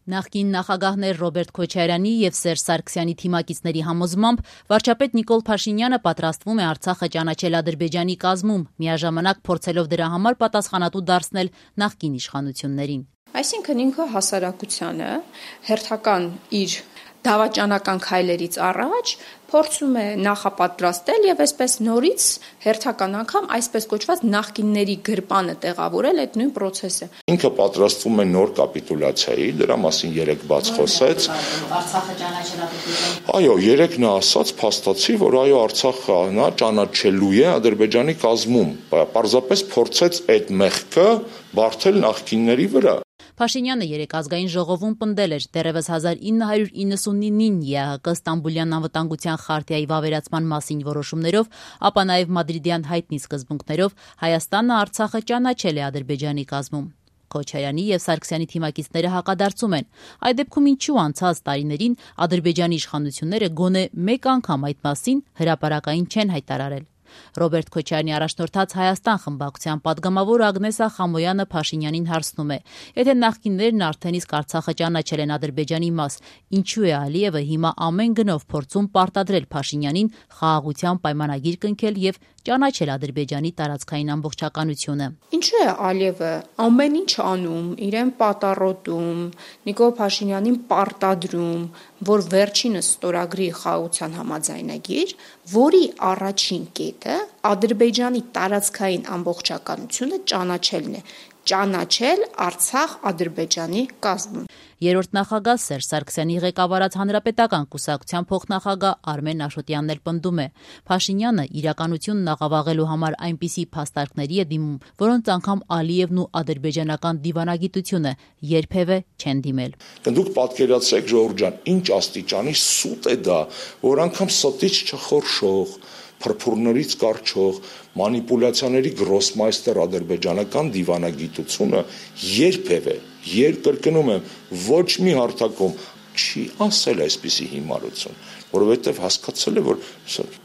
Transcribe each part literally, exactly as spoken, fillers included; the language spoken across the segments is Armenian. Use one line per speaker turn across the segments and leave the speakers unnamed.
Նախկին նախագահներ Ռոբերտ Քոչարյանի և Սերժ Սարգսյանի թիմակիցների համոզմամբ վարչապետ Նիկոլ Փաշինյանը պատրաստվում է Արցախը ճանաչել Ադրբեջանի կազմում, միաժամանակ փորձելով դրա համար պատասխանատու դարձնել նախկին իշխանություններին։
Այսինքն ինքը հասարակությանը հերթական իր դավաճանական քայլերից առաջ փորձում է նախապատրաստել եւ այսպես նորից հերթական անգամ այսպես կոչված նախկինների գրպանը տեղավորել այդ նույն process-ը։
Ինքը պատրաստվում է նոր կապիտուլյացիայի, դրա մասին երեք բաց խոսեց։
Արցախը ճանաչել Ադրբեջանի։
Այո, երեք նա ասաց, փաստացի, որ այո, Արցախը նա ճանաչելու է Ադրբեջանի կազմում։ Պարզապես փորձեց այդ մեղքը բարթել նախկինների վրա։
Փաշինյանը երեկ ազգային ժողովում պնդել էր դեռևս հազար ինը հարյուր իննսունինին ԵԱՀԿ Ստամբուլյան անվտանգության խարտիայի վավերացման մասին որոշումներով, ապա նաև մադրիդյան հայտնի սկզբունքներով Հայաստանը Արցախը ճանաչել է Ադրբեջանի կազմում։ Քոչարյանի և Սարգսյանի թիմակիցները հակադարձում են։ Այդ դեպքում ինչու անցած տարիներին Ադրբեջանի իշխանությունները գոնե մեկ անգամ այդ մասին հրապարակային չեն հայտարարել։ Ռոբերտ Քոչարյանի առաջնորդած Հայաստան խմբակցության պատգամավոր Ագնեսա Խամոյանը Փաշինյանին հարցնում է. եթե նախկիններն արդեն իսկ Արցախը ճանաչել են Ադրբեջանի մաս, ինչու է Ալիևը հիմա ամեն գնով փորձում պարտադրել Փաշինյանին խաղաղության պայմանագիր կնքել եւ ճանաչել Ադրբեջանի տարածքային ամբողջականությունը։
Ինչու է Ալիևը ամեն ինչ անում, իրեն պատառոտում, Նիկոլ Փաշինյանին պարտադրում, որ վերջինս ստորագրի խաղաղության համաձայնագիր, որի առաջին կետը Ադրբեջանի տարածքային ամբողջականությունը ճանաչելն է, ճանաչել Արցախ Ադրբեջանի կազմում։
Երրորդ նախագահ Սերժ Սարգսյանի ղեկավարած Հանրապետական կուսակցության փոխնախագահ Արմեն Աշոտյանն էլ պնդում է. Փաշինյանը իրականությունն աղավաղելու համար այնպիսի փաստարկների է դիմում, որոնց անգամ Ալիևն ու ադրբեջանական դիվանագիտությունը երբևէ չեն դիմել։
Դուք պատկերացրեք, ժողովուրդ ջան, ինչ աստիճանի սուտ է դա, որ անգամ ստից չխորշող, փրփուրներից կարճող, մանիպուլյացիաների գրոսմայստեր ադրբեջանական դիվանագիտությունը երբևէ, երկրկնում եմ, ոչ մի հարթակում չի ասել այսպիսի հիմարություն, որովհետև հասկացել է, որ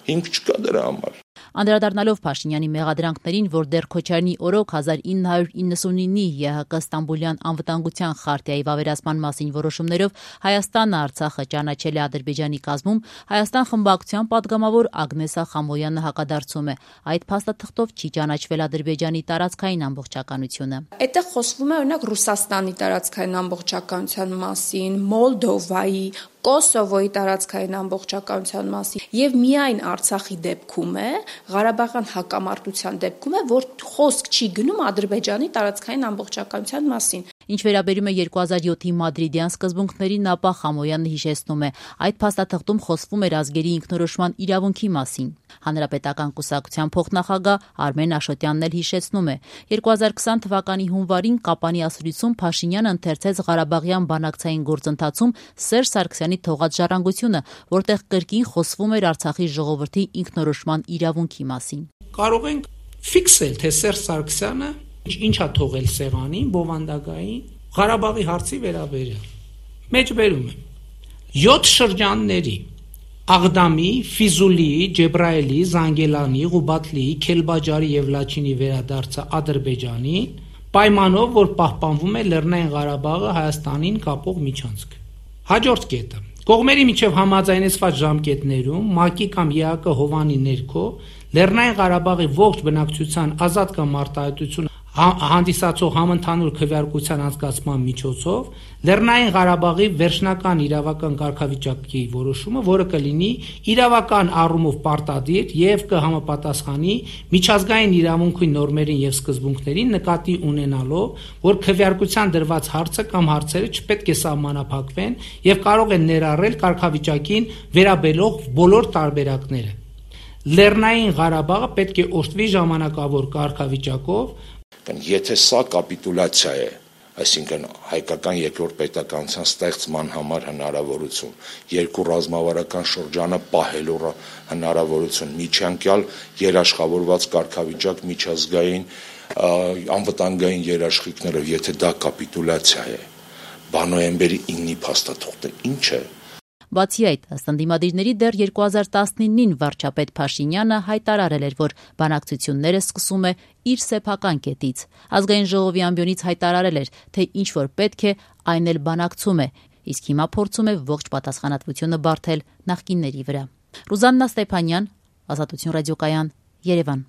հիմք չկա դրա համար։
Անդրադառնալով Փաշինյանի մեղադրանքներին, որ դեռ Քոչարյանի օրոք հազար ինը հարյուր իննսունինի ԵԱՀԿ Ստամբուլյան անվտանգության խարտիայի վավերացման մասին որոշումներով Հայաստանը Արցախը ճանաչել է Ադրբեջանի կազմում, Հայաստան խմբակցության պատգամավոր Ագնեսա Խամոյանը հակադարձում է. այդ փաստաթղթով չի ճանաչվել Ադրբեջանի տարածքային ամբողջականությունը։
Այդտեղ խոսվում է օրինակ Ռուսաստանի տարածքային ամբողջականության մասին, Մոլդովայի, Կոսովոյի տարածքային ամբողջականության մասին եւ միայն Արցախի դեպքում է, Ղարաբաղյան հակամարտության դեպքում է, որ խոսք չի գնում Ադրբեջանի տարածքային ամբողջականության մասին։
Ինչ վերաբերում է երկու հազար յոթի մադրիդյան սկզբունքներին, ապա Խամոյանը հիշեցնում է, այդ փաստաթղթում խոսվում էր ազգերի ինքնորոշման իրավունքի մասին։ Հանրապետական կուսակցության փոխնախագահ Արմեն Աշոտյանն էլ հիշեցնում է. երկու հազար քսան թվականի հունվարին Կապանի ասուլիսում Փաշինյանը ընթերցեց Ղարաբաղյան բանակցային գործընթացում Սերժ Սարգսյանի թողած ժառանգությունը, որտեղ կրկին խոսվում էր Արցախի ժողովրդի ինքնորոշման իրավունքի մասին։
Կարող ենք ֆիքսել, թե Սերժ Սարգսյանը ինչ է թողել սեղանին, բովանդակային Ղարաբաղի հարցի վերաբերյալ։ Մեջբերում եմ յոթ շրջանների Աղդամի, Ֆիզուլիի, Ջեբրայելի, Զանգելանի, Ղուբատլիի, Քելբաջարի եւ Լաչինի վերադարձը Ադրբեջանին պայմանով, որ պահպանվում է Լեռնային Ղարաբաղը Հայաստանին կապող միջանցք։ Հաջորդ կետը կողմերի միջև համաձայնեցված ժամկետներում ՄԱԿ-ի կամ ԵԱՀԿ հովանի ներքո Լեռնային Ղարաբաղի ողջ բնակչության ազատ կամ արտահայտություն հանդիսացող համընդհանուր քվեարկության անցկացման միջոցով Լեռնային Ղարաբաղի վերջնական իրավական կարգավիճակի որոշումը, որը կլինի իրավական առումով պարտադիր եւ կհամապատասխանի միջազգային իրավունքի նորմերին եւ սկզբունքներին, նկատի ունենալով, որ քվեարկության դրված հարցը կամ հարցերը չպետք է սահմանափակվեն եւ կարող են ներառել կարգավիճակին վերաբերող բոլոր տարբերակները։ Լեռնային Ղարաբաղը պետք է օժտվի ժամանակավոր կարգավիճակով։
Եթե սա կապիտուլյացիա է, այսինքն հայկական երկրորդ պետականության ստեղծման համար հնարավորություն, երկու ռազմավարական շրջանը պահելու հնարավորություն, միջանկյալ երաշխավորված կարգավիճակ միջազգային անվտանգային երաշխիքներով, եթե դա կապիտուլյացիա է, բա նոյեմբերի ինը փաստաթուղթը ինչ է։
Բացի այդ, ըստ ընդդիմադիրների դեռ երկու հազար տասնինին վարչապետ Փաշինյանը հայտարարել էր, որ բանակցությունները սկսում է իր սեփական կետից։ Ազգային ժողովի ամբիոնից հայտարարել էր, թե ինչ որ պետք է, այն էլ բանակցում է, իսկ հիմա փորձում է ողջ պատասխանատվությունը բարթել նախկինների վրա։ Ռուզաննա Ստեփանյան, Ազատություն ռադիոկայան, Երևան։